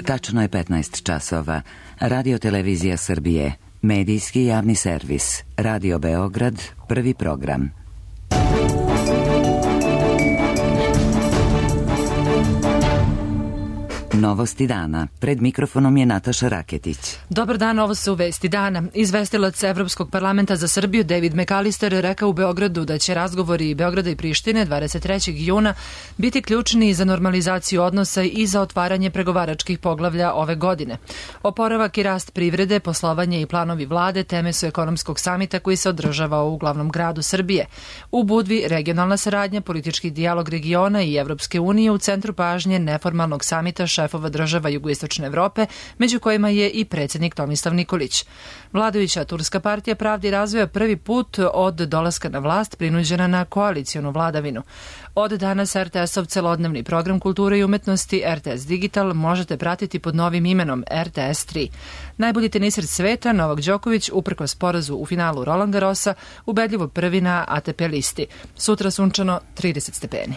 Tačno je 15 časova. Radio Televizija Srbije, medijski javni servis, Radio Beograd, prvi program. Novosti dana. Pred mikrofonom je Nataša Raketić. Dobar dan, ovo su vesti dana. Izvestilac Evropskog parlamenta za Srbiju David McAllister rekao u Beogradu da će razgovori Beograda i Prištine 23. juna biti ključni za normalizaciju odnosa i za otvaranje pregovaračkih poglavlja ove godine. Oporavak i rast privrede, poslovanje i planovi vlade teme su ekonomskog samita koji se održava u glavnom gradu Srbije. U Budvi regionalna saradnja, politički dijalog regiona i Evropske unije u centru pažnje neformalnog samita šefova država Jugoistočne Evrope, među kojima je i predsjednik Tomislav Nikolić. Vladajuća Turska partija pravde i razvoja prvi put od dolaska na vlast prinuđena na koalicijonu vladavinu. Od danas RTS-ov celodnevni program kulture i umetnosti RTS Digital možete pratiti pod novim imenom RTS 3. Najbolji teniser sveta Novak Đoković uprkos porazu u finalu Roland Garrosa ubedljivo prvi na ATP listi. Sutra sunčano 30 stepeni.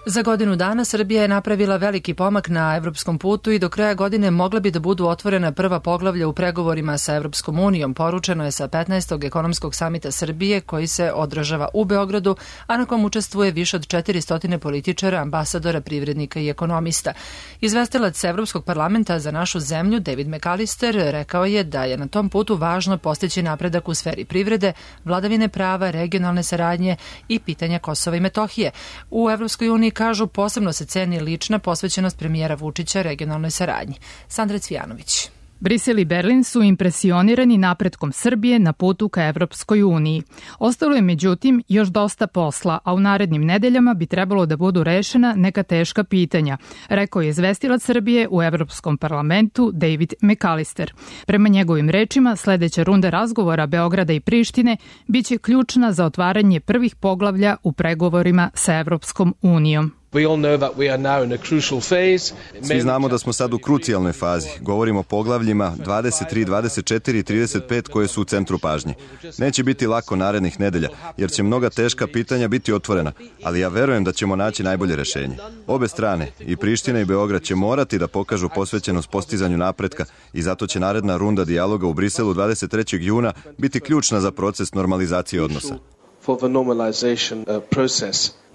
Za godinu dana Srbija je napravila veliki pomak na evropskom putu i do kraja godine mogla bi da budu otvorena prva poglavlja u pregovorima sa Evropskom unijom, poručeno je sa 15. ekonomskog samita Srbije koji se održava u Beogradu, a na kom učestvuje više od 400 političara, ambasadora, privrednika i ekonomista. Izvestilac Evropskog parlamenta za našu zemlju David McAllister rekao je da je na tom putu važno postići napredak u sferi privrede, vladavine prava, regionalne saradnje i pitanja Kosova i Metohije. U Evropskoj uniji kažu posebno se ceni lična posvećenost premijera Vučića regionalnoj saradnji. Sandra Cvijanović. Brisel i Berlin su impresionirani napretkom Srbije na putu ka Evropskoj uniji. Ostalo je međutim još dosta posla, a u narednim nedeljama bi trebalo da budu rešena neka teška pitanja, rekao je izvestilac Srbije u Evropskom parlamentu David McAllister. Prema njegovim rečima, sledeća runda razgovora Beograda i Prištine biće ključna za otvaranje prvih poglavlja u pregovorima sa Evropskom unijom. Svi znamo da smo sad u krucijalnoj fazi. Govorimo o poglavljima 23, 24 i 35 koje su u centru pažnje. Neće biti lako narednih nedelja, jer će mnoga teška pitanja biti otvorena, ali ja verujem da ćemo naći najbolje rešenje. Obe strane, i Priština i Beograd, će morati da pokažu posvećenost postizanju napretka i zato će naredna runda dijaloga u Briselu 23. juna biti ključna za proces normalizacije odnosa.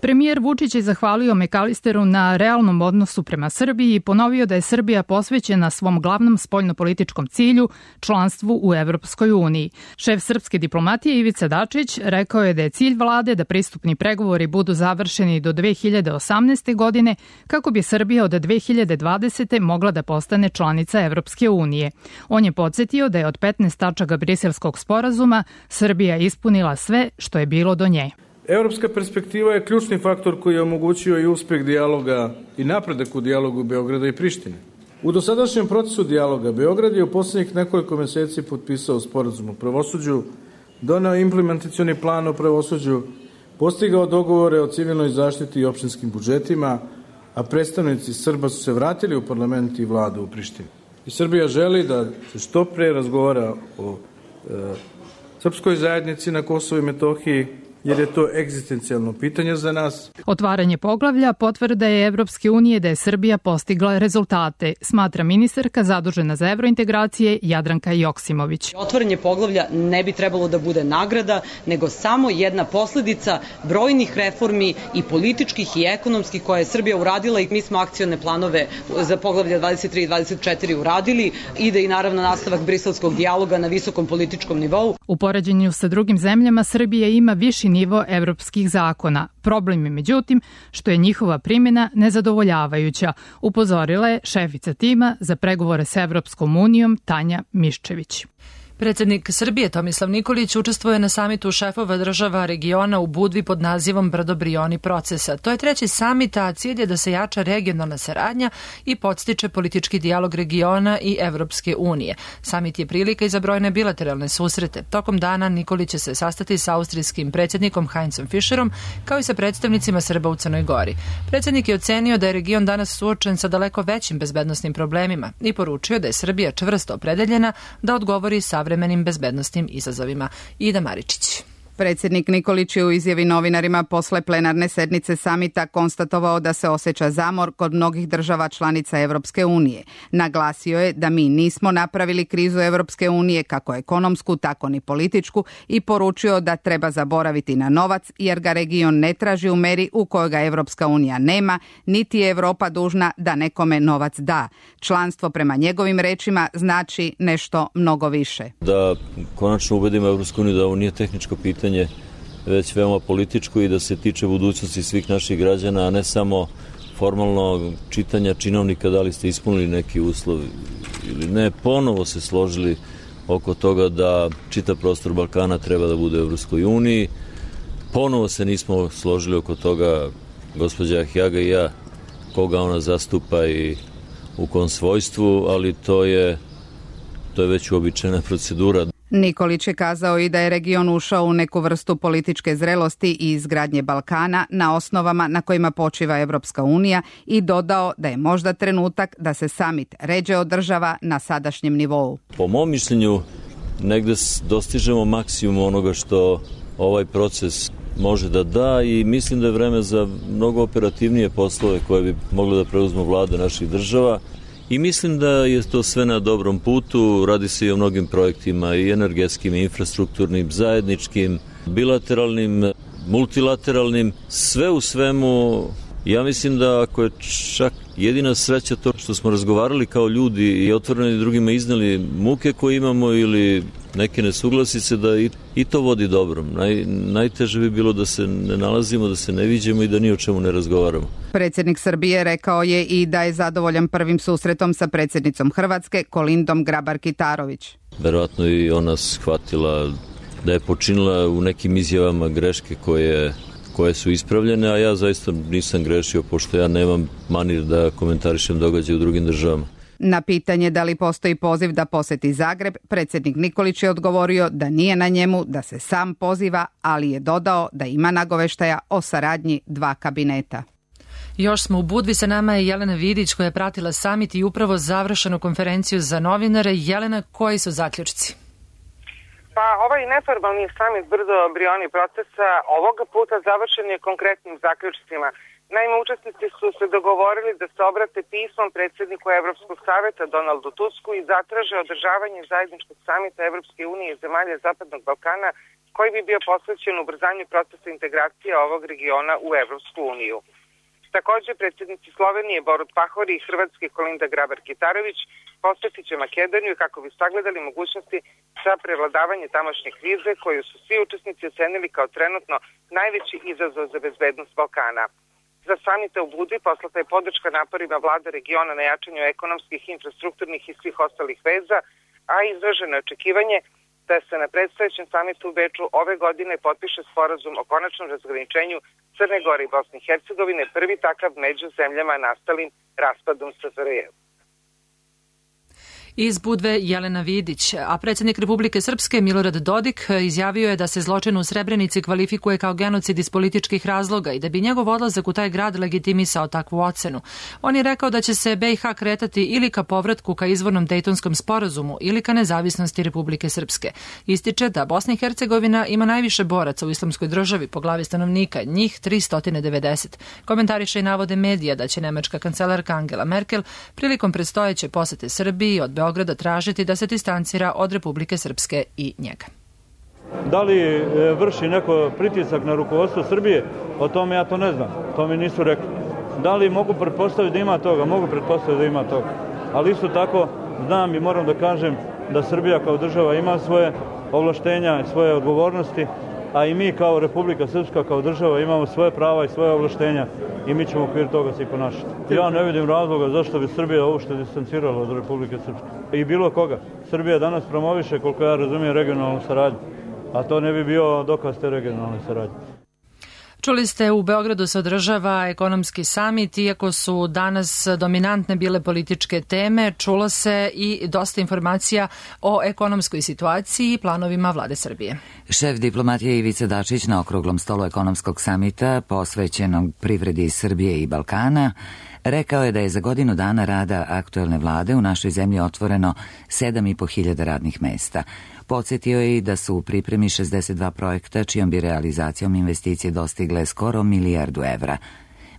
Premijer Vučić je zahvalio McAllisteru na realnom odnosu prema Srbiji i ponovio da je Srbija posvećena svom glavnom spoljnopolitičkom cilju, članstvu u Evropskoj uniji. Šef srpske diplomatije Ivica Dačić rekao je da je cilj vlade da pristupni pregovori budu završeni do 2018. godine kako bi Srbija od 2020. mogla da postane članica Evropske unije. On je podsjetio da je od 15 tačaka Briselskog sporazuma Srbija ispunila sve što je bilo do nje. Evropska perspektiva je ključni faktor koji je omogućio i uspeh dijaloga i napredak u dijalogu Beograda i Prištine. U dosadašnjem procesu dijaloga Beograd je u posljednjih nekoliko meseci potpisao sporazum o pravosuđu, doneo implementacioni plan o pravosuđu, postigao dogovore o civilnoj zaštiti i opštinskim budžetima, a predstavnici Srba su se vratili u parlament i vladu u Prištini. I Srbija želi da se što pre razgovara o srpskoj zajednici na Kosovu i Metohiji, jer je to egzistencijalno pitanje za nas. Otvaranje poglavlja potvrda je Evropske unije da je Srbija postigla rezultate, smatra ministarka zadužena za evrointegracije Jadranka Joksimović. Otvaranje poglavlja ne bi trebalo da bude nagrada, nego samo jedna posledica brojnih reformi i političkih i ekonomskih koje je Srbija uradila i mi smo akcione planove za poglavlja 23 i 24 uradili. Ide i naravno nastavak briselskog dijaloga na visokom političkom nivou. U poređenju sa drugim zemljama Srbija ima viši nivo evropskih zakona. Problem je međutim što je njihova primjena nezadovoljavajuća, upozorila je šefica tima za pregovore s Evropskom unijom Tanja Miščević. Predsjednik Srbije Tomislav Nikolić učestvuje na samitu šefova država regiona u Budvi pod nazivom Brdo-Brioni procesa. To je treći samit, a cilj je da se jača regionalna saradnja i podstiče politički dijalog regiona i Evropske unije. Samit je prilika i za brojne bilateralne susrete. Tokom dana Nikolić će se sastati sa austrijskim predsjednikom Heinzom Fischerom kao i sa predstavnicima Srba u Crnoj Gori. Predsjednik je ocenio da je region danas suočen sa daleko većim bezbednosnim problemima i poručio da je Srbija čvrsto opredeljena da odgovori savremenim bezbednosnim izazovima. Ida Maričić. Predsjednik Nikolić je u izjavi novinarima posle plenarne sednice samita konstatovao da se osjeća zamor kod mnogih država članica Evropske unije. Naglasio je da mi nismo napravili krizu Evropske unije, kako ekonomsku, tako ni političku, i poručio da treba zaboraviti na novac, jer ga region ne traži u meri u kojoj ga Evropska unija nema, niti je Evropa dužna da nekome novac da. Članstvo prema njegovim rečima znači nešto mnogo više. Da konačno ubedimo Evropsku uniju da ovo nije tehničko pitanje, već veoma političko i da se tiče budućnosti svih naših građana, a ne samo formalno čitanja činovnika da li ste ispunili neki uslov ili ne. Ponovo se složili oko toga da čitav prostor Balkana treba da bude u Evropskoj uniji. Ponovo se nismo složili oko toga, gospođa Ahjaga i ja, koga ona zastupa i u kom svojstvu, ali to je već uobičajena procedura. Nikolić je kazao i da je region ušao u neku vrstu političke zrelosti i izgradnje Balkana na osnovama na kojima počiva Evropska unija i dodao da je možda trenutak da se samit ređe održava na sadašnjem nivou. Po mom mišljenju negde dostižemo maksimum onoga što ovaj proces može da da i mislim da je vreme za mnogo operativnije poslove koje bi mogle da preuzmu vlade naših država. I mislim da je to sve na dobrom putu, radi se i o mnogim projektima i energetskim, i infrastrukturnim, zajedničkim, bilateralnim, multilateralnim, sve u svemu. Ja mislim da ako je čak jedina sreća to što smo razgovarali kao ljudi i otvoreni drugima iznali muke koje imamo ili neke nesuglasice, da i to vodi dobrom. Najteže bi bilo da se ne nalazimo, da se ne viđemo i da ni o čemu ne razgovaramo. Predsjednik Srbije rekao je i da je zadovoljan prvim susretom sa predsjednicom Hrvatske, Kolindom Grabar-Kitarović. Verovatno i ona shvatila da je počinila u nekim izjavama greške koje su ispravljene, a ja zaista nisam grešio, pošto ja nemam manir da komentarišem događaje u drugim državama. Na pitanje da li postoji poziv da poseti Zagreb, predsjednik Nikolić je odgovorio da nije na njemu, da se sam poziva, ali je dodao da ima nagoveštaja o saradnji dva kabineta. Još smo u Budvi, sa nama je Jelena Vidić koja je pratila samit i upravo završenu konferenciju za novinare. Jelena, koji su zaključci? Pa ovaj neformalni samit brdo brioni procesa ovoga puta završen je konkretnim zaključcima. Naime, učesnici su se dogovorili da se obrate pismom predsjedniku Evropskog saveta Donaldu Tusku i zatraže održavanje zajedničkog samita Evropske unije i zemalja Zapadnog Balkana koji bi bio posvećen ubrzanju procesa integracije ovog regiona u Evropsku uniju. Također, predsjednici Slovenije Borut Pahor i Hrvatske Kolinda Grabar-Kitarović posjetit će Makedoniju kako bi sagledali mogućnosti za prevladavanje tamošnje krize koju su svi učesnici ocenili kao trenutno najveći izazov za bezbednost Balkana. Za samita u Budvi poslata je podrška naporima vlada regiona na jačanju ekonomskih, infrastrukturnih i svih ostalih veza, a izraženo je očekivanje da se na predstojećem samitu u Beču ove godine potpiše sporazum o konačnom razgraničenju Crne Gore i Bosne i Hercegovine, prvi takav među zemljama nastalim raspadom SFRJ. Iz Budve Jelena Vidić, a predsjednik Republike Srpske Milorad Dodik izjavio je da se zločin u Srebrenici kvalifikuje kao genocid iz političkih razloga i da bi njegov odlazak u taj grad legitimisao takvu ocenu. On je rekao da će se BiH kretati ili ka povratku ka izvornom Dejtonskom sporazumu ili ka nezavisnosti Republike Srpske. Ističe da Bosna i Hercegovina ima najviše boraca u islamskoj državi po glavi stanovnika, njih 390. Komentariše i navode medija da će nemačka kancelarka Angela Merkel prilikom predstojeće posete Srbiji od Beograda tražiti da se distancira od Republike Srpske i njega. Da li vrši neko pritisak na rukovodstvo Srbije? O tome ja to ne znam. To mi nisu rekli. Da li mogu pretpostaviti da ima toga? Mogu pretpostaviti da ima toga. Ali isto tako znam i moram da kažem da Srbija kao država ima svoje ovlaštenja i svoje odgovornosti, a i mi kao Republika Srpska, kao država imamo svoje prava i svoje ovlaštenja i mi ćemo u okviru toga se i ponašati. Ja ne vidim razloga zašto bi Srbija uopšte distancirala od Republike Srpske. I bilo koga. Srbija danas promoviše, koliko ja razumijem, regionalnu saradnju, a to ne bi bio dokaz te regionalne saradnje. Čuli ste, u Beogradu se održava ekonomski samit, iako su danas dominantne bile političke teme, čulo se i dosta informacija o ekonomskoj situaciji i planovima vlade Srbije. Šef diplomatije Ivica Dačić na okruglom stolu ekonomskog samita posvećenog privredi Srbije i Balkana Rekao je da je za godinu dana rada aktuelne vlade u našoj zemlji otvoreno 7.500 radnih mesta. Podsjetio je i da su u pripremi 62 projekta čijom bi realizacijom investicije dostigle skoro 1 milijardu evra.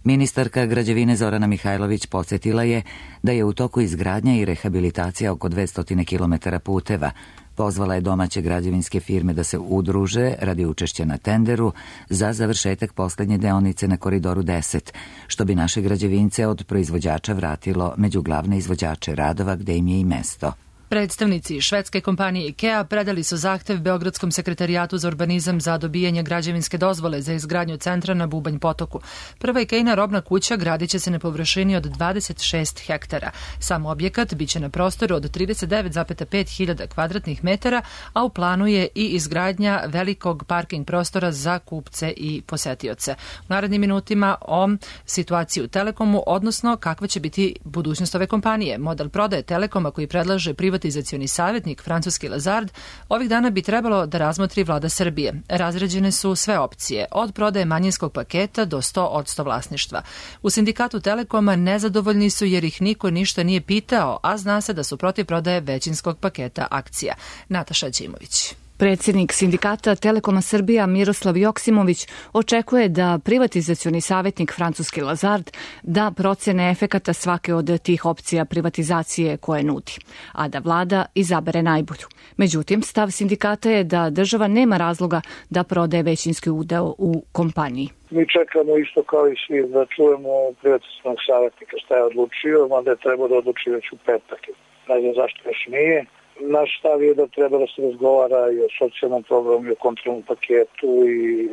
Ministarka građevine Zorana Mihajlović podsjetila je da je u toku izgradnja i rehabilitacija oko 200 km puteva. Pozvala je domaće građevinske firme da se udruže radi učešća na tenderu za završetak posljednje deonice na Koridoru 10, što bi naše građevince od proizvođača vratilo među glavne izvođače radova gde im je i mesto. Predstavnici švedske kompanije IKEA predali su zahtev Beogradskom sekretarijatu za urbanizam za dobijanje građevinske dozvole za izgradnju centra na Bubanj potoku. Prva IKEA-ina robna kuća gradit će se na površini od 26 hektara. Sam objekat biće na prostoru od 39,5 hiljada kvadratnih metara, a u planu je i izgradnja velikog parking prostora za kupce i posetioce. U narednim minutima o situaciji u Telekomu, odnosno kakva će biti budućnost ove kompanije. Model prodaje Telekoma koji predlaže privatizacioni savjetnik francuski Lazard ovih dana bi trebalo da razmotri vlada Srbije. Razređene su sve opcije, od prodaje manjinskog paketa do 100% vlasništva. U sindikatu Telekoma nezadovoljni su jer ih niko ništa nije pitao, a zna se da su protiv prodaje većinskog paketa akcija. Nataša Ćimović. Predsjednik sindikata Telekoma Srbija Miroslav Joksimović očekuje da privatizacioni savjetnik francuski Lazard da procene efekata svake od tih opcija privatizacije koje nudi, a da vlada izabere najbolju. Međutim, stav sindikata je da država nema razloga da prodaje većinski udeo u kompaniji. Mi čekamo isto kao i svi da čujemo privatizacionog savjetnika šta je odlučio, mada je trebao da odluči već u petak. Ne znam zašto još nije. Naš stav je da treba da se razgovara i o socijalnom programu, i o kontrolnom paketu, i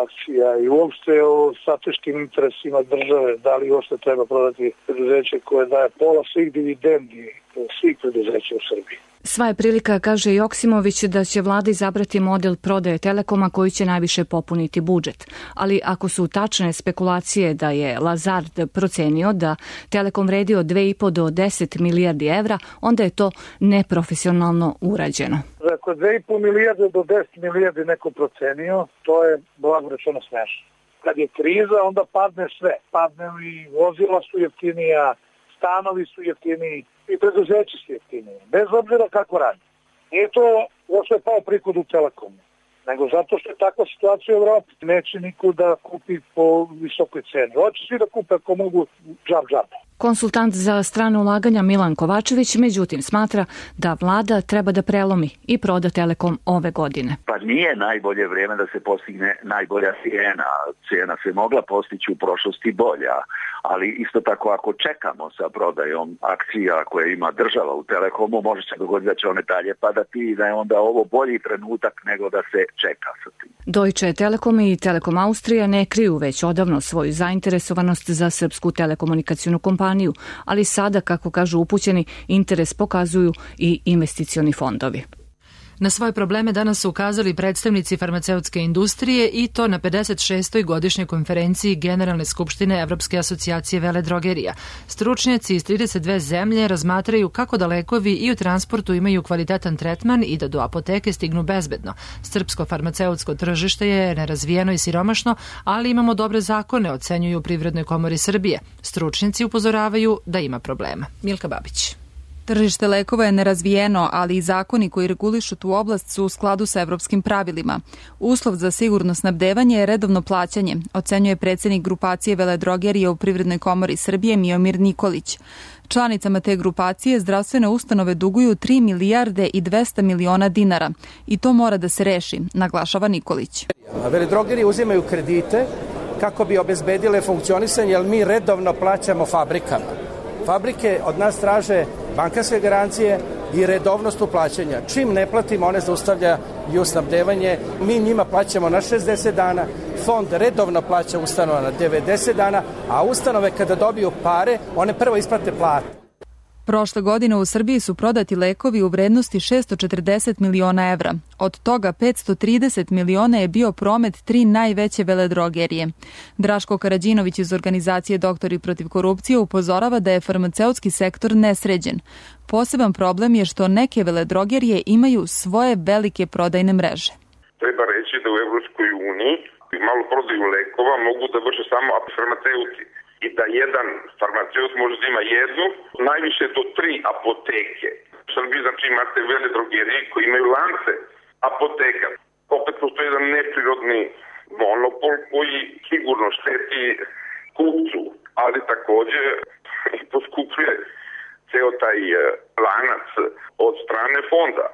akcija, i uopšte o strateškim interesima države. Da li uopšte treba prodati preduzeće koje daje pola svih dividendi svih preduzeća u Srbiji. Sva je prilika, kaže Joksimović, da će vlada izabrati model prodaje Telekoma koji će najviše popuniti budžet. Ali ako su tačne spekulacije da je Lazard procenio da Telekom vredi od 2,5 do 10 milijardi evra, onda je to neprofesionalno urađeno. Ako je 2,5 milijarde do 10 milijardi neko procenio, to je blago rečeno smešno. Kad je kriza, onda padne sve. Padne i vozila su jeftinija, stanovi su jeftiniji i preduzeći su jeftiniji. Bez obzira kako radi. Nije to što je pao prihod u Telekomu, nego zato što je takva situacija u Evropi. Neće niko da kupi po visokoj ceni. Hoće svi da kupe ako mogu džab. Konsultant za strane ulaganja Milan Kovačević međutim smatra da vlada treba da prelomi i proda Telekom ove godine. Pa nije najbolje vrijeme da se postigne najbolja cijena. Cijena se mogla postići u prošlosti bolja, ali isto tako ako čekamo sa prodajom akcija koje ima država u Telekomu, može se dogoditi da će one dalje padati i da je onda ovo bolji trenutak nego da se čeka sa tim. Deutsche Telekom i Telekom Austrija ne kriju već odavno svoju zainteresovanost za srpsku telekomunikacijnu kompaniju, ali sada, kako kažu upućeni, interes pokazuju i investicioni fondovi. Na svoje probleme danas su ukazali predstavnici farmaceutske industrije i to na 56. godišnjoj konferenciji Generalne skupštine Evropske asocijacije veledrogerija. Stručnjaci iz 32 zemlje razmatraju kako da lekovi i u transportu imaju kvalitetan tretman i da do apoteke stignu bezbedno. Srpsko farmaceutsko tržište je nerazvijeno i siromašno, ali imamo dobre zakone, ocenjuju u Privrednoj komori Srbije. Stručnjaci upozoravaju da ima problema. Milka Babić. Tržište lekova je nerazvijeno, ali i zakoni koji regulišu tu oblast su u skladu sa evropskim pravilima. Uslov za sigurno snabdevanje je redovno plaćanje, ocenjuje predsjednik grupacije veledrogerije u Privrednoj komori Srbije Miomir Nikolić. Članicama te grupacije zdravstvene ustanove duguju 3 milijarde i 200 miliona dinara i to mora da se reši, naglašava Nikolić. Veledrogerije uzimaju kredite kako bi obezbedile funkcionisanje, jer mi redovno plaćamo fabrikama. Fabrike od nas traže bankarske garancije i redovnost u plaćanja. Čim ne platimo, one zaustavljaju snabdevanje. Mi njima plaćamo na 60 dana, fond redovno plaća ustanova na 90 dana, a ustanove kada dobiju pare, one prvo isplate plate. Prošle godine u Srbiji su prodati lekovi u vrednosti 640 miliona evra. Od toga 530 miliona je bio promet 3 najveće veledrogerije. Draško Karađinović iz organizacije Doktori protiv korupcije upozorava da je farmaceutski sektor nesređen. Poseban problem je što neke veledrogerije imaju svoje velike prodajne mreže. Treba reći da u Evropskoj uniji malo prodaju lekova mogu da vrše samo farmaceuti. i da jedan farmaceut može da ima jednu, najviše do 3 apoteke. U Srbiji, znači, imate vele drogerije koji imaju lance apoteka. Opet postoji jedan neprirodni monopol koji sigurno šteti kupcu, ali takođe poskupljuje ceo taj lanac od strane fonda.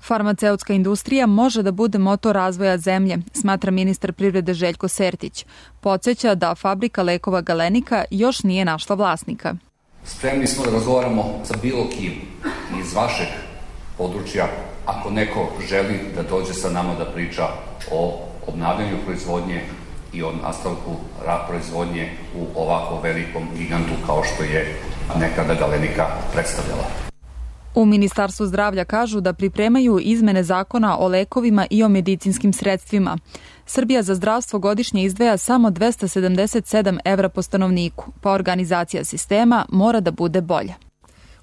Farmaceutska industrija može da bude motor razvoja zemlje, smatra ministar privrede Željko Sertić. Podsjeća da fabrika lekova Galenika još nije našla vlasnika. Spremni smo da razgovaramo sa bilo kim iz vašeg područja ako neko želi da dođe sa nama da priča o obnavljanju proizvodnje i o nastavku proizvodnje u ovako velikom gigantu kao što je nekada Galenika predstavljala. U Ministarstvu zdravlja kažu da pripremaju izmene zakona o lekovima i o medicinskim sredstvima. Srbija za zdravstvo godišnje izdvaja samo 277 evra po stanovniku, pa organizacija sistema mora da bude bolja.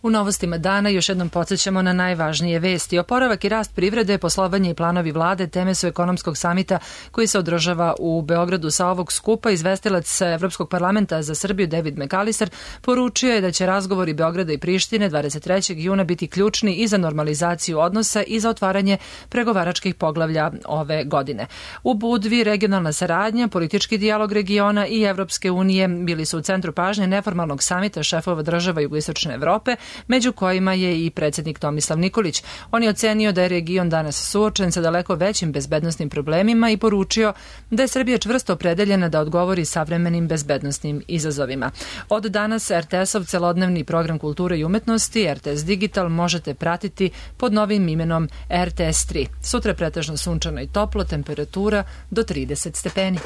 U novostima dana još jednom podsjećamo na najvažnije vesti. Oporavak i rast privrede, poslovanje i planovi vlade teme su ekonomskog samita koji se održava u Beogradu. Sa ovog skupa izvestilac Evropskog parlamenta za Srbiju David McAllister poručio je da će razgovori Beograda i Prištine 23. juna biti ključni i za normalizaciju odnosa i za otvaranje pregovaračkih poglavlja ove godine. U Budvi regionalna saradnja, politički dijalog regiona i Evropske unije bili su u centru pažnje neformalnog samita šefova država Jugoistočne Evrope, među kojima je i predsjednik Tomislav Nikolić. On je ocenio da je region danas suočen sa daleko većim bezbednosnim problemima i poručio da je Srbija čvrsto opredeljena da odgovori savremenim bezbednosnim izazovima. Od danas RTS-ov celodnevni program kulture i umetnosti, RTS Digital, možete pratiti pod novim imenom RTS 3. Sutra je pretežno sunčano i toplo, temperatura do 30 stepeni.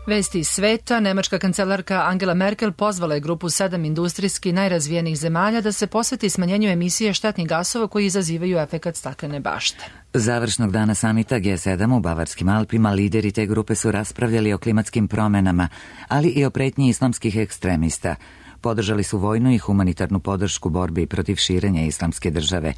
Vesti iz sveta. Nemačka kancelarka Angela Merkel pozvala je grupu 7 industrijski najrazvijenijih zemalja da se posveti smanjenju emisije štetnih gasova koji izazivaju efekat staklene bašte. Završnog dana samita G7 u Bavarskim Alpima lideri te grupe su raspravljali o klimatskim promenama, ali i o pretnji islamskih ekstremista. Podržali su vojnu i humanitarnu podršku borbi protiv širenja islamske države.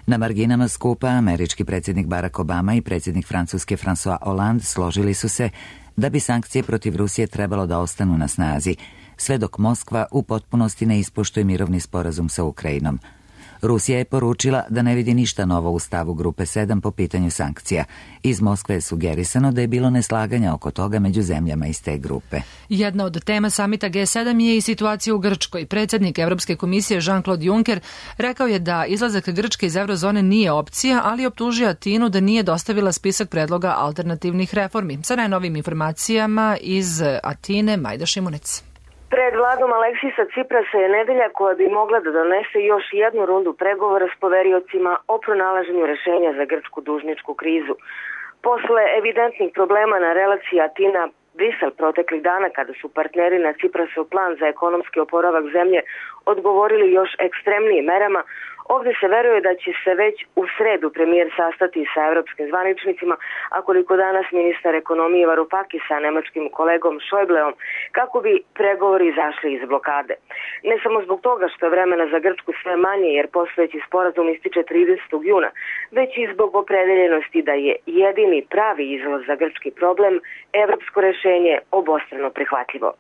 Na marginama skupa američki predsjednik Barack Obama i predsjednik Francuske François Hollande složili su se da bi sankcije protiv Rusije trebalo da ostanu na snazi, sve dok Moskva u potpunosti ne ispoštuje mirovni sporazum sa Ukrajinom. Rusija je poručila da ne vidi ništa novo u stavu grupe 7 po pitanju sankcija. Iz Moskve je sugerisano da je bilo neslaganja oko toga među zemljama iz te grupe. Jedna od tema samita G7 je i situacija u Grčkoj. Predsjednik Evropske komisije Jean-Claude Juncker rekao je da izlazak Grčke iz eurozone nije opcija, ali optužio Atinu da nije dostavila spisak predloga alternativnih reformi. Sa najnovim informacijama iz Atine, Majda Šimunec. Pred vladom Aleksisa Ciprasa je nedelja koja bi mogla da donese još jednu rundu pregovora s poveriocima o pronalaženju rešenja za grčku dužničku krizu. Posle evidentnih problema na relaciji Atina-Brisel proteklih dana, kada su partneri na Ciprasov plan za ekonomski oporavak zemlje odgovorili još ekstremnijim merama, ovde se veruje da će se već u sredu premijer sastati sa evropskim zvaničnicima, a koliko danas ministar ekonomije Varoufakis sa nemačkim kolegom Schäubleom, kako bi pregovori izašli iz blokade. Ne samo zbog toga što je vremena za Grčku sve manje, jer postojeći sporazum ističe 30. juna, već i zbog opredeljenosti da je jedini pravi izlaz za grčki problem evropsko rešenje obostrano prihvatljivo.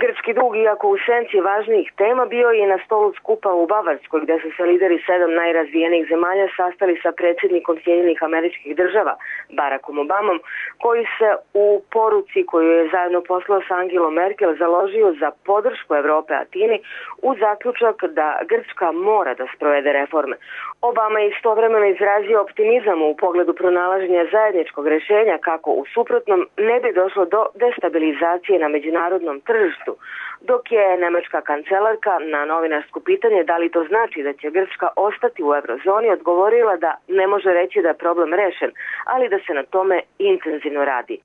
Grčki dug, iako u senci važnijih tema, bio je na stolu skupa u Bavarskoj, gde su se lideri 7 najrazvijenijih zemalja sastali sa predsjednikom Sjedinjenih Američkih Država, Barackom Obamom, koji se u poruci koju je zajedno poslao sa Angelom Merkel založio za podršku Evrope Atini u zaključak da Grčka mora da sprovede reforme. Obama je istovremeno izrazio optimizam u pogledu pronalaženja zajedničkog rešenja kako u suprotnom ne bi došlo do destabilizacije na međunarodnom tržištu, dok je nemačka kancelarka na novinarsko pitanje da li to znači da će Grčka ostati u eurozoni odgovorila da ne može reći da je problem rešen, ali da se na tome intenzivno radi.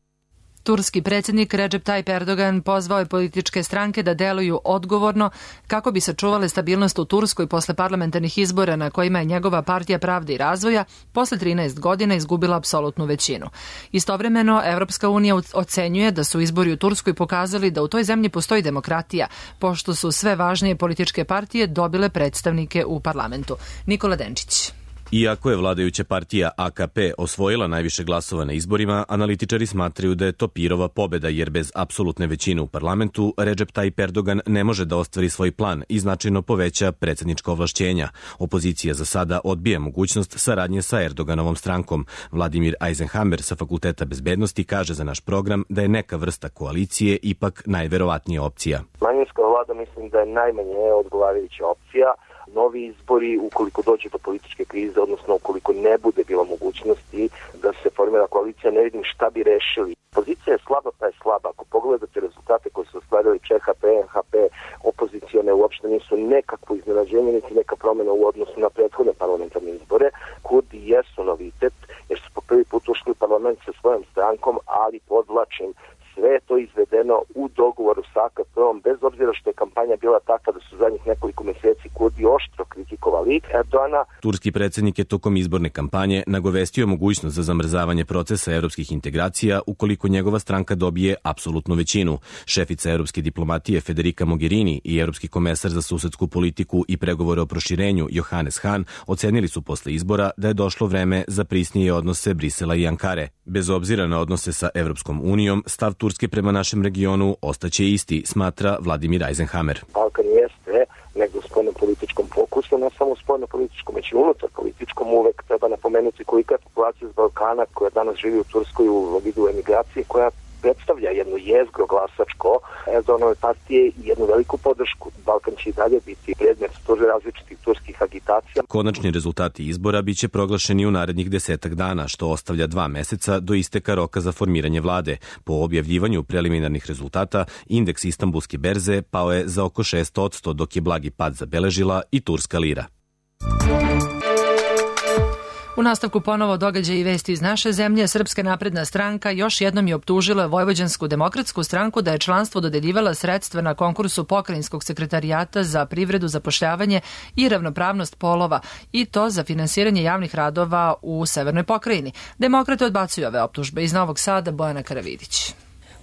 Turski predsjednik Recep Tayyip Erdogan pozvao je političke stranke da deluju odgovorno kako bi sačuvale stabilnost u Turskoj posle parlamentarnih izbora na kojima je njegova partija Pravde i razvoja posle 13 godina izgubila apsolutnu većinu. Istovremeno, Evropska unija ocenjuje da su izbori u Turskoj pokazali da u toj zemlji postoji demokratija, pošto su sve važnije političke partije dobile predstavnike u parlamentu. Nikola Denčić. Iako je vladajuća partija AKP osvojila najviše glasova na izborima, analitičari smatraju da je to pirova pobeda, jer bez apsolutne većine u parlamentu Recep Tayyip Erdogan ne može da ostvari svoj plan i značajno poveća predsjednička ovlašćenja. Opozicija za sada odbija mogućnost saradnje sa Erdoganovom strankom. Vladimir Eisenhammer sa Fakulteta bezbednosti kaže za naš program da je neka vrsta koalicije ipak najverovatnija opcija. Manjinska vlada mislim da je najmanje odgovarajuća opcija. Novi izbori, ukoliko dođe do političke krize, odnosno ukoliko ne bude bilo mogućnosti da se formira koalicija, ne vidim šta bi rešili. Pozicija je slaba, pa je slaba. Ako pogledate rezultate koje su ostvarili ČHP, NHP, opozicione uopšte nisu nekakvo iznenađenje, niti neka promjena u odnosu na prethodne parlamentarne izbore. Kurdi jesu novitet, jer su po prvi put ušli u parlament sa svojom strankom, ali podvlačim, sve je to izvedeno u dogovoru sa AKP-om, bez obzira što je kampanja bila takva da su zadnjih nekoliko meseci Kurdi oštro kritikovali Erdogana. Turski predsjednik je tokom izborne kampanje nagovestio mogućnost za zamrzavanje procesa evropskih integracija ukoliko njegova stranka dobije apsolutnu većinu. Šefica evropske diplomatije Federica Mogherini i evropski komesar za susedsku politiku i pregovore o proširenju Johannes Hahn ocenili su posle izbora da je došlo vreme za prisnije odnose Brisela i Ankare. Bez obzira na odnose sa Evropskom unijom, stav Turske prema našem regionu ostaće isti, smatra Vladimir Eisenhammer. Balkan jeste negdje u spoljno-političkom fokusu, ne samo u spoljno-političkom, već i unutar političkom. Uvek treba napomenuti kolika je populacija iz Balkana koja danas živi u Turskoj u vidu emigracije, koja predstavlja jedno jezgro glasačko Erdoganove partije i jednu veliku podršku. Balkan će i dalje biti predmet različitih turskih agitacija. Konačni rezultati izbora biće proglašeni u narednih 10 dana, što ostavlja 2 meseca do isteka roka za formiranje vlade. Po objavljivanju preliminarnih rezultata, indeks Istanbulske berze pao je za oko 6%, dok je blagi pad zabeležila i turska lira. U nastavku ponovo događaj i vesti iz naše zemlje. Srpska napredna stranka još jednom je optužila Vojvođansku demokratsku stranku da je članstvo dodeljivala sredstva na konkursu Pokrajinskog sekretarijata za privredu, zapošljavanje i ravnopravnost polova, i to za finansiranje javnih radova u Severnoj pokrajini. Demokrate odbacuju ove optužbe. Iz Novog Sada Bojana Karavidić.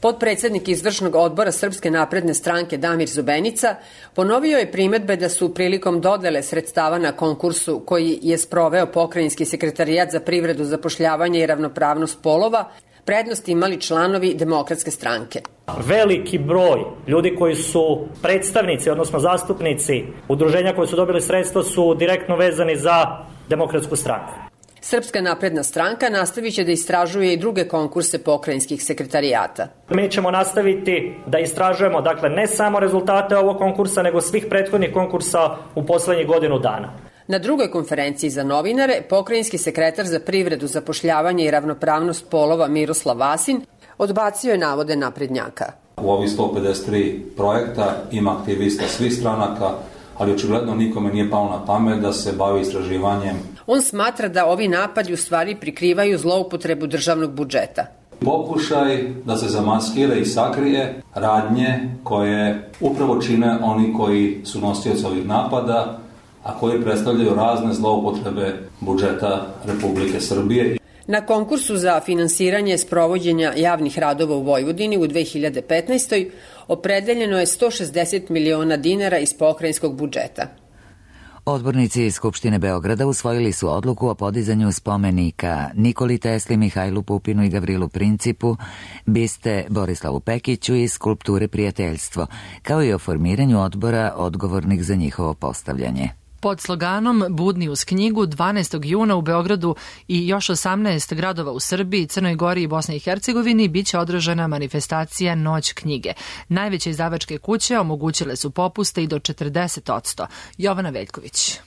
Potpredsednik izvršnog odbora Srpske napredne stranke Damir Zubenica ponovio je primedbe da su prilikom dodele sredstava na konkursu koji je sproveo Pokrajinski sekretarijat za privredu, zapošljavanje i ravnopravnost polova prednost imali članovi Demokratske stranke. Veliki broj ljudi koji su predstavnici, odnosno zastupnici udruženja koji su dobili sredstva su direktno vezani za Demokratsku stranku. Srpska napredna stranka nastavit će da istražuje i druge konkurse pokrajinskih sekretarijata. Mi ćemo nastaviti da istražujemo, dakle, ne samo rezultate ovog konkursa, nego svih prethodnih konkursa u poslednjih godinu dana. Na drugoj konferenciji za novinare, pokrajinski sekretar za privredu, zapošljavanje i ravnopravnost polova Miroslav Vasin odbacio je navode naprednjaka. U ovih 153 projekta ima aktivista svih stranaka, ali očigledno nikome nije palo na pamet da se bavi istraživanjem. On smatra da ovi napadi u stvari prikrivaju zloupotrebu državnog budžeta. Pokušaj da se zamaskira i sakrije radnje koje upravo čine oni koji su nosioci ovih napada, a koji predstavljaju razne zloupotrebe budžeta Republike Srbije. Na konkursu za finansiranje sprovođenja javnih radova u Vojvodini u 2015. opredeljeno je 160 miliona dinara iz pokrajinskog budžeta. Odbornici iz Skupštine Beograda usvojili su odluku o podizanju spomenika Nikoli Tesli, Mihajlu Pupinu i Gavrilu Principu, biste Borislavu Pekiću i skulpture Prijateljstvo, kao i o formiranju odbora odgovornih za njihovo postavljanje. Pod sloganom Budni uz knjigu 12. juna u Beogradu i još 18 gradova u Srbiji, Crnoj Gori i Bosni i Hercegovini biće održana manifestacija Noć knjige. Najveće izdavačke kuće omogućile su popuste i do 40%. Jovana Veljković.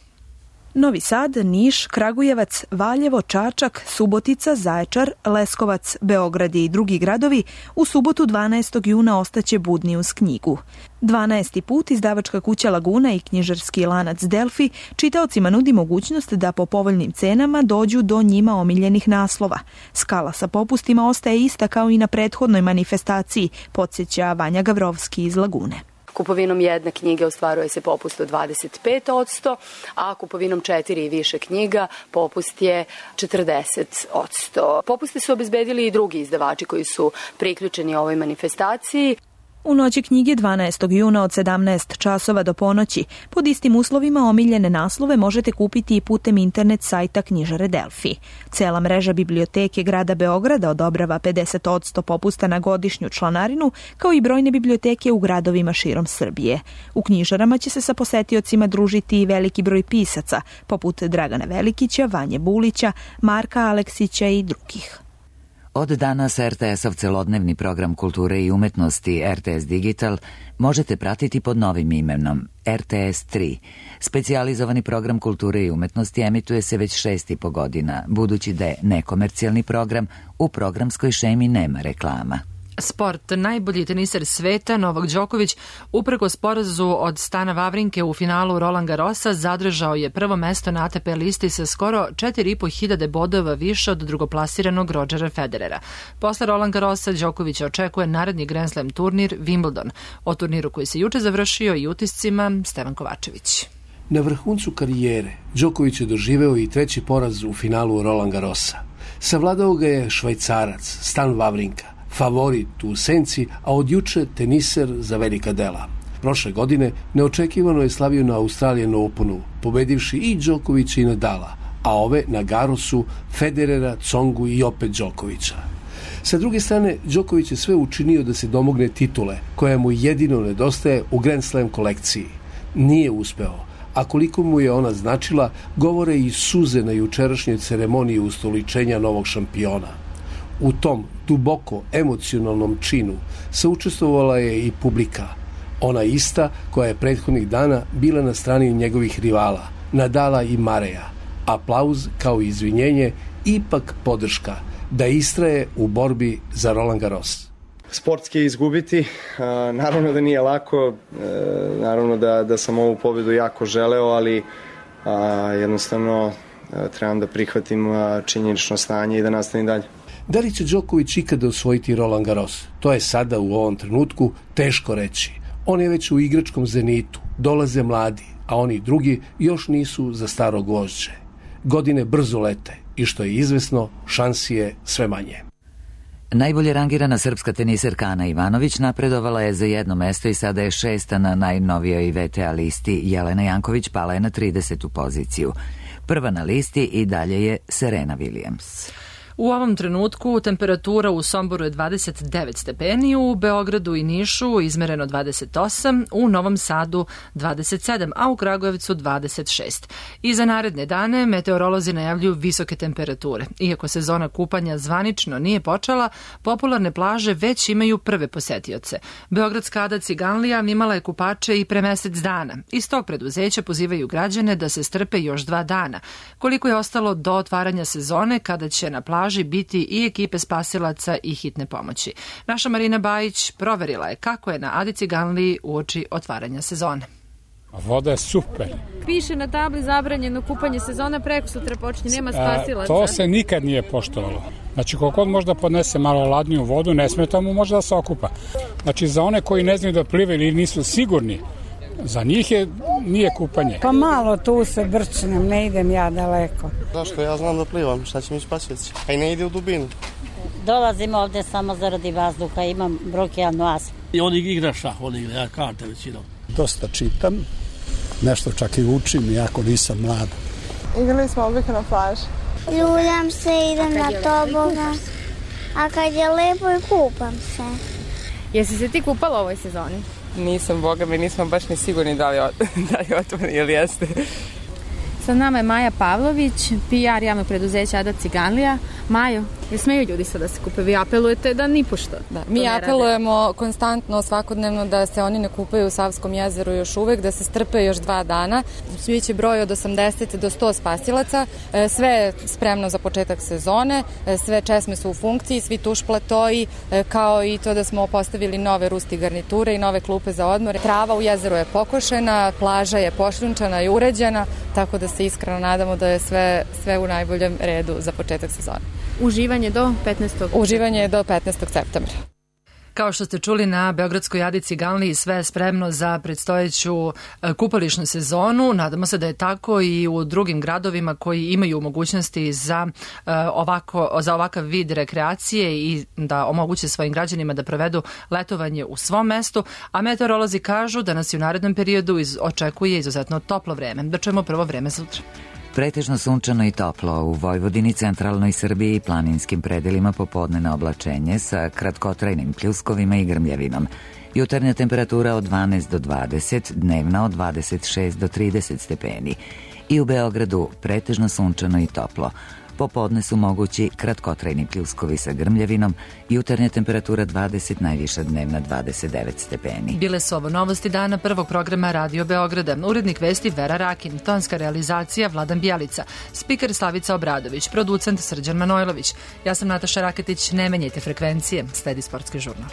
Novi Sad, Niš, Kragujevac, Valjevo, Čačak, Subotica, Zaječar, Leskovac, Beograd i drugi gradovi u subotu 12. juna ostaće budni uz knjigu. 12. put izdavačka kuća Laguna i knjižarski lanac Delfi čitaocima nudi mogućnost da po povoljnim cenama dođu do njima omiljenih naslova. Skala sa popustima ostaje ista kao i na prethodnoj manifestaciji, podsjeća Vanja Gavrovski iz Lagune. Kupovinom jedne knjige ostvaruje se popust od 25%, a kupovinom 4 i više knjiga popust je 40%. Popuste su obezbedili i drugi izdavači koji su priključeni ovoj manifestaciji. U noći knjige 12. juna od 17 časova do ponoći pod istim uslovima omiljene naslove možete kupiti i putem internet sajta knjižare Delfi. Cela mreža biblioteke grada Beograda odobrava 50% popusta na godišnju članarinu, kao i brojne biblioteke u gradovima širom Srbije. U knjižarama će se sa posetiocima družiti i veliki broj pisaca, poput Dragana Velikića, Vanje Bulića, Marka Aleksića i drugih. Od danas RTS-ov celodnevni program kulture i umetnosti RTS Digital možete pratiti pod novim imenom RTS 3. Specijalizovani program kulture i umetnosti emituje se već 6,5 godina, budući da je nekomercijalni program, u programskoj šemi nema reklama. Sport. Najbolji teniser sveta Novak Đoković uprkos porazu od Stana Wawrinke u finalu Roland Garrosa zadržao je prvo mesto na ATP listi sa skoro 4.500 bodova više od drugoplasiranog Rodgera Federera. Posle Roland Garrosa Đokovića očekuje naredni Grand Slam turnir Wimbledon. O turniru koji se juče završio i utiscima Stevan Kovačević. Na vrhuncu karijere Đoković je doživeo i treći poraz u finalu Roland Garrosa. Savladao ga je Švajcarac Stan Wawrinka, favorit u senci, a od juče teniser za velika dela. Prošle godine neočekivano je slavio na Australian Openu, pobedivši i Đokovića i Nadala, a ove na Garrosu Federera, Tsongu i opet Đokovića. Sa druge strane, Đoković je sve učinio da se domogne titule, koja mu jedino nedostaje u Grand Slam kolekciji. Nije uspeo, a koliko mu je ona značila, govore i suze na jučerašnjoj ceremoniji ustoličenja novog šampiona. U tom duboko emocionalnom činu saučestvovala je i publika, ona ista koja je prethodnih dana bila na strani njegovih rivala, Nadala i Mareja. Aplauz kao izvinjenje, ipak podrška da istraje u borbi za Roland Garros. Sportski je izgubiti, naravno da nije lako, naravno da sam ovu pobedu jako želeo, ali jednostavno trebam da prihvatim činjenično stanje i da nastavim dalje. Da li će Đoković ikada osvojiti Roland Garros? To je sada u ovom trenutku teško reći. On je već u igračkom zenitu, dolaze mladi, a oni drugi još nisu za staro gvožđe. Godine brzo lete i što je izvesno, šansi je sve manje. Najbolje rangirana srpska teniserka Ana Ivanović napredovala je za jedno mesto i sada je 6. na najnovijoj VTA listi. Jelena Janković pala je na 30. poziciju. Prva na listi i dalje je Serena Williams. U ovom trenutku temperatura u Somboru je 29 stepeni, u Beogradu i Nišu izmereno 28, u Novom Sadu 27, a u Kragujevcu 26. I za naredne dane meteorolozi najavljuju visoke temperature. Iako sezona kupanja zvanično nije počela, popularne plaže već imaju prve posetioce. Beogradska Ada Ciganlija imala je kupače i pre mesec dana. Iz tog preduzeća pozivaju građane da se strpe još 2 dana. Koliko je ostalo do otvaranja sezone, kada će na plaži biti i ekipe spasilaca i hitne pomoći. Naša Marina Bajić proverila je kako je na Adi Ciganliji uoči otvaranja sezone. Voda je super. Piše na tabli zabranjeno kupanje sezona, preko sutra počinje, nema spasilaca. To se nikad nije poštovalo. Znači, koliko možda podnese malo ladniju vodu, ne smeta mu možda da se okupa. Znači, za one koji ne znaju da plivaju ili nisu sigurni, za njih nije kupanje. Pa malo tu se brčnem, ne idem ja daleko. Zašto? Ja znam da plivam, šta će mi spasioci? A i ne ide u dubinu. Dolazim ovde samo zaradi vazduha, imam bronhijalnu astmu. I on igra šah, on igra, ja karte većinom. Dosta čitam, nešto čak i učim, iako nisam mlad. Igrali smo obično na plaži. Ljuljam se, idem na tobogan, a kad je lepo i kupam se. Jesi se ti kupala u ovoj sezoni? Nisam, boga mi, nismo baš ni sigurni da li otvori ili jeste. Sa nama je Maja Pavlović, PR javnog preduzeća Ada Ciganlija. Majo, jel smeju ljudi sad da se kupe? Vi apelujete da nipošto da mi apelujemo konstantno, svakodnevno da se oni ne kupaju u Savskom jezeru još uvek, da se strpe još 2 dana. Biće broj od 80 do 100 spasilaca, sve je spremno za početak sezone, sve česme su u funkciji, svi tuš platoji, kao i to da smo postavili nove rusti garniture i nove klupe za odmor. Trava u jezeru je pokošena, plaža je pošljunčana i uređena, tako da se iskreno nadamo da je sve u najboljem redu za početak sezone. Uživanje do 15. Uživanje do 15. septembra. Kao što ste čuli, na Beogradskoj Adi Ciganliji sve je spremno za predstojeću kupališnu sezonu. Nadamo se da je tako i u drugim gradovima koji imaju mogućnosti za ovakav vid rekreacije i da omoguće svojim građanima da provedu letovanje u svom mestu. A meteorolozi kažu da nas i u narednom periodu očekuje izuzetno toplo vreme. Da čujemo prvo vreme sutra. Pretežno sunčano i toplo u Vojvodini, centralnoj Srbiji i planinskim predelima popodnevno oblačenje sa kratkotrajnim pljuskovima i grmljavinom. Jutarnja temperatura od 12 do 20, dnevna od 26 do 30 stepeni. I u Beogradu pretežno sunčano i toplo. Popodne su mogući kratkotrajni pljuskovi sa grmljavinom, jutarnja temperatura 20, najviša dnevna 29 stepeni. Bile su ovo novosti dana prvog programa Radio Beograda. Urednik vesti Vera Rakin, tonska realizacija Vladan Bjelica, spiker Slavica Obradović, producent Srđan Manojlović. Ja sam Nataša Raketić, ne menjajte frekvencije, sledi sportski žurnal.